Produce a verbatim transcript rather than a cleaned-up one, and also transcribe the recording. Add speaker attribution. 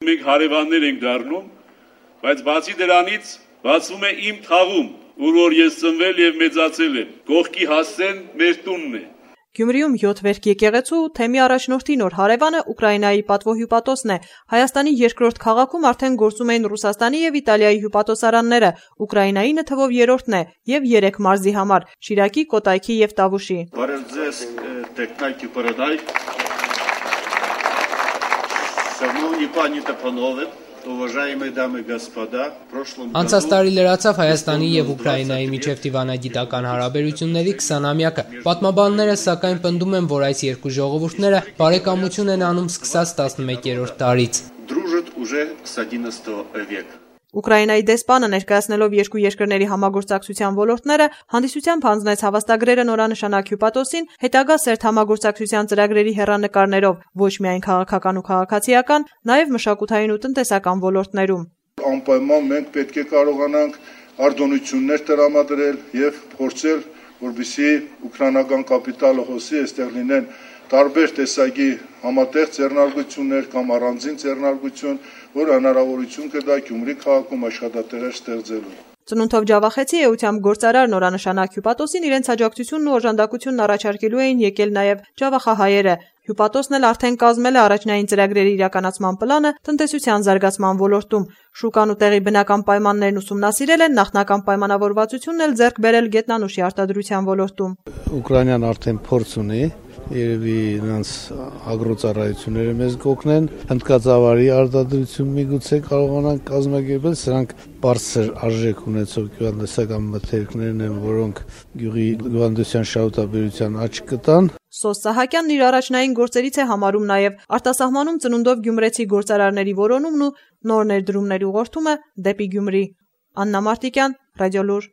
Speaker 1: Մենք հարևաններ ենք դառնում, բայց բացի դրանից բացվում է իմ թաղում, ուր որ ես ծնվել եւ մեծացել եմ, կողքի հասցեն մեր տունն է։
Speaker 2: Գյումրիում յոթ վերք եկեղեցու թեմի առաջնորդի նոր հարևանը Ուկրաինայի պատվո հյուպատոսն է։ Հայաստանի երկրորդ քաղաքում արդեն գործում էին Ռուսաստանի եւ Իտալիայի հյուպատոսարանները, Ուկրաինայինը թվով երրորդն է եւ երեք մարզի համար՝ Շիրակի, Կոտայքի եւ Տավուշի։
Speaker 1: Բարև ձեզ, տեխնայքի պարադայ։ Շановні пані та панове, уважаемые дамы и господа, прошлом году
Speaker 3: Անցած տարի լրացավ Հայաստանի եւ Ուկրաինայի միջև դիվանագիտական հարաբերությունների քսանամյակը։ Պատմաբանները սակայն պնդում են, որ այս երկու ժողովուրդները բարեկամություն են անում սկսած տասնմեկերորդ դարից։
Speaker 1: Дружат уже с одиннадцатого века։
Speaker 2: Ուկրաինայի դեսպանը ներկայացնելով երկու երկրների համագործակցության ոլորտները հանդիսությամբ հանձնեց հավաստագրերը նորանշանակ հյուպատոսին հետագա սերտ համագործակցության ծրագրերի հեռանկարներով ոչ միայն քաղաքական ու քաղաքացիական, նաև մշակութային ու տնտեսական ոլորտներում։
Speaker 4: Անպայման մենք պետք է կարողանանք արտոնություններ տրամադրել եւ փորձել, որպեսզի ուկրաինական կապիտալը հոսի, այստեղ լինեն տարբեր տեսակի համատեղ ձեռնարկություններ կամ առանձին ձեռնարկություն, որ հնարավորություն կտա Գյումրի քաղաքում աշխատատեղեր ստեղծելու։
Speaker 2: Ծնունդով Ջավախեցի էությամբ գործարար նորանշանակ հյուպատոսին իրենց աջակցությունն ու օժանդակությունն առաջարկելու էին եկել նաև ջավախահայերը։ Հյուպատոսն էլ արդեն կազմել է առաջնային ծրագրերի իրականացման պլանը տնտեսության զարգացման ոլորտում։ Շուկան ու տեղի բնական պայմաններն ուսումնասիրել են, նախնական պայմանավորվածությունն էլ ձեռք բերել գետնանուշի արտադրության ոլորտում։
Speaker 5: Ուկրաինան արդեն փորձ ունի, երևի նրանց ագրոծառայությունները մեզ կօգնեն, հնդկածավալի արտադրություն միգուցե կարողանան կազմակերպել, սրանք բարձր արժեք ունեցող գյուղատնտեսական մթերքներն են, որոնք գյուղի գյուղատնտեսության շահութաբերության աճ կտան։
Speaker 2: Սոս Սահակյանն իր առաջնային գործերից է համարում նաև արտասահմանում ծնունդով գյումրեցի գործարարների որոնումն ու նոր ներդրումների ուղղորդումը դեպի Գյումրի։ Աննա Մարտիկյան, Ռադիոլուր։